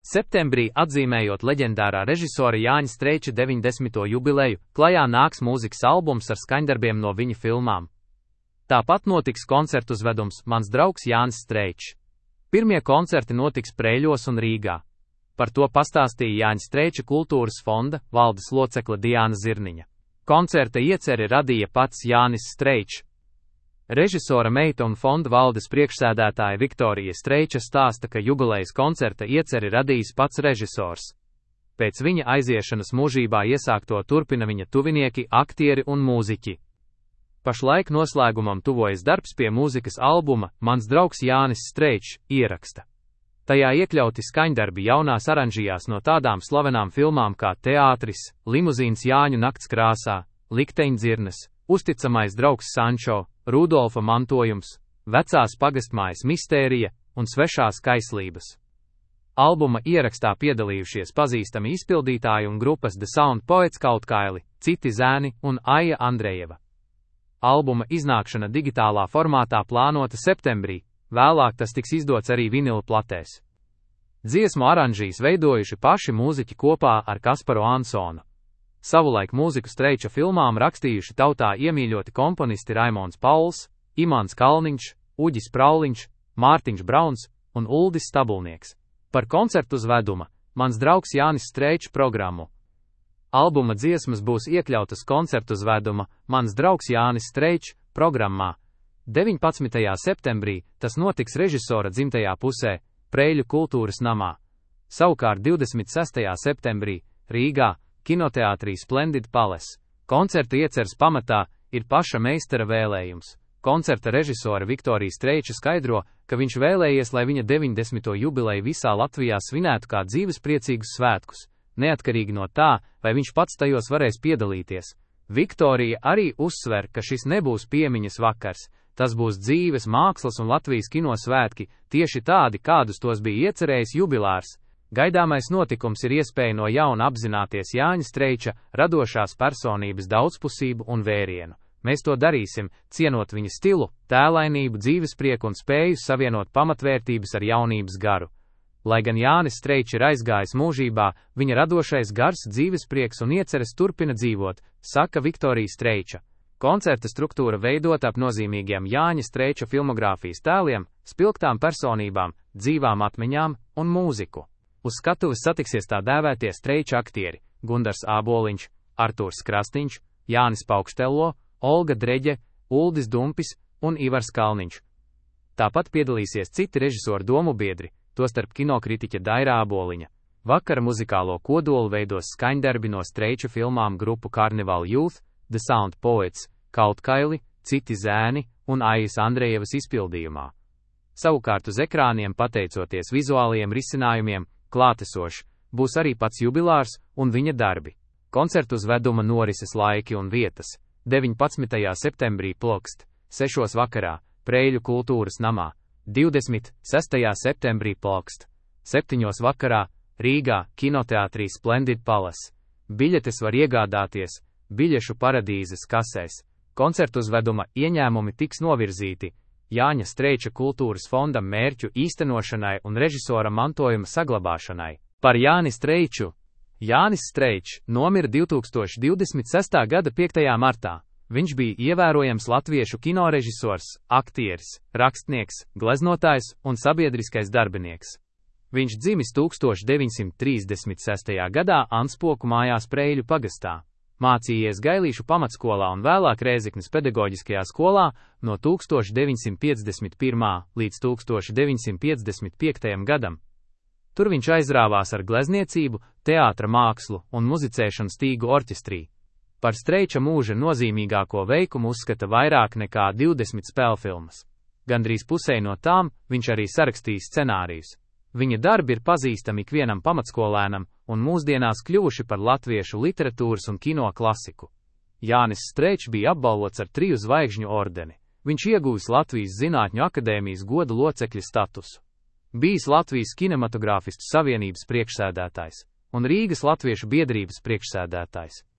Septembrī, atzīmējot leģendārā režisora Jāņa Streiča 90. jubileju, klajā nāks mūzikas albums ar skaņdarbiem no viņa filmām. Tāpat notiks koncertu uzvedums Mans draugs Jānis Streičs. Pirmie koncerti notiks Preiļos un Rīgā. Par to pastāstīja Jāņa Streiča kultūras fonda valdes locekle Diāna Zirniņa. Koncerta ieceri radīja pats Jānis Streičs. Režisora meita un fonda valdes priekšsēdētāja Viktorija Streiča stāsta, ka jubilejas koncerta ieceri radījis pats režisors. Pēc viņa aiziešanas mūžībā iesākto turpina viņa tuvinieki, aktieri un mūziķi. Pašlaik noslēgumam tuvojas darbs pie mūzikas albuma Mans draugs Jānis Streičs ieraksta. Tajā iekļauti skaņdarbi jaunās aranžijās no tādām slavenām filmām kā Teātris, Limuzīns Jāņu nakts krāsā, Likteņdzirnes, Uzticamais draugs Sančo, Rudolfa mantojums, Vecās pagastmājas mistērija un Svešās kaislības. Albuma ierakstā piedalījušies pazīstami izpildītāji un grupas The Sound Poets Kautkaili, Citi zēni un Aija Andrejeva. Albuma iznākšana digitālā formātā plānota septembrī, vēlāk tas tiks izdots arī vinila platēs. Dziesmu aranžīs veidojuši paši mūziķi kopā ar Kasparu Ansonu. Savulaik mūziku Streiča filmām rakstījuši tautā iemīļoti komponisti Raimonds Pauls, Imants Kalniņš, Uģis Prauliņš, Mārtiņš Brauns un Uldis Stabulnieks. Par koncertu uzveduma Mans draugs Jānis Streičs programmu. Albuma dziesmas būs iekļautas koncertu uzveduma Mans draugs Jānis Streičs programmā. 19. septembrī tas notiks režisora dzimtajā pusē, Preiļu kultūras namā. Savukārt 26. septembrī Rīgā, kinoteātrī Splendid Palace. Koncerta ieceres pamatā ir paša meistara vēlējums. Koncerta režisora Viktorija Streiča skaidro, ka viņš vēlējies, lai viņa 90. jubileju visā Latvijā svinētu kā dzīvespriecīgus svētkus, neatkarīgi no tā, vai viņš pats tajos varēs piedalīties. Viktorija arī uzsver, ka šis nebūs piemiņas vakars, tas būs dzīves, mākslas un Latvijas kino svētki, tieši tādi, kādus tos bija iecerējis jubilārs. Gaidāmais notikums ir iespēja no jauna apzināties Jāņa Streiča radošās personības daudzpusību un vērienu. Mēs to darīsim, cienot viņa stilu, tēlainību, dzīvesprieku un spēju savienot pamatvērtības ar jaunības garu. Lai gan Jānis Streičs ir aizgājis mūžībā, viņa radošais gars, dzīvesprieks un ieceres turpina dzīvot, saka Viktorija Streiča. Koncerta struktūra veidota ap nozīmīgiem Jāņa Streiča filmogrāfijas tēliem, spilgtām personībām, dzīvām atmiņām un mūziku. Uz skatuves satiksies tā dēvētie Streiča aktieri – Gundars Āboliņš, Artūrs Krasniņš, Jānis Paukštello, Olga Dreģe, Uldis Dumpis un Ivars Kalniņš. Tāpat piedalīsies citi režisoru domu biedri, tostarp kinokritiķa Daira Āboliņa. Vakara muzikālo kodolu veidos skaņdarbi no Streiča filmām grupu Carnival Youth, The Sound Poets, Kautkaili, Citi zēni un Aijas Andrejevas izpildījumā. Savukārt uz ekrāniem, pateicoties vizuālajiem risinājumiem, klātesošs būs arī pats jubilārs un viņa darbi. Koncertu uzveduma norises laiki un vietas. 19. septembrī Plokst, 6. vakarā, Preiļu kultūras namā. 26. septembrī Plokst, 7. vakarā, Rīgā, kinoteātrī Splendid Palace. Biļetes var iegādāties biļešu paradīzes kasēs. Koncertu uzveduma ieņēmumi tiks novirzīti Jāņa Streiča kultūras fondam mērķu īstenošanai un režisora mantojuma saglabāšanai. Par Jāni Streiču. Jānis Streičs nomira 2026. gada 5. martā. Viņš bija ievērojams latviešu kinorežisors, aktieris, rakstnieks, gleznotājs un sabiedriskais darbinieks. Viņš dzimis 1936. gadā Anspoku mājās Preiļu pagastā. Mācījies Gailīšu pamatskolā un vēlāk Rēzeknes pedagoģiskajā skolā no 1951. līdz 1955. gadam. Tur viņš aizrāvās ar glezniecību, teātra mākslu un muzicēšanu Stīgu orķestrī. Par Streiča mūža nozīmīgāko veikumu uzskata vairāk nekā 20 spēlfilmas. Gandrīz pusē no tām viņš arī sarakstījis scenārijus. Viņa darbi ir pazīstami ikvienam pamatskolēnam un mūsdienās kļuvuši par latviešu literatūras un kino klasiku. Jānis Streičs bija apbalvots ar 3 zvaigžņu ordeni. Viņš ieguvis Latvijas Zinātņu akadēmijas goda locekļa statusu. Bijis Latvijas kinematogrāfistu savienības priekšsēdētājs un Rīgas latviešu biedrības priekšsēdētājs.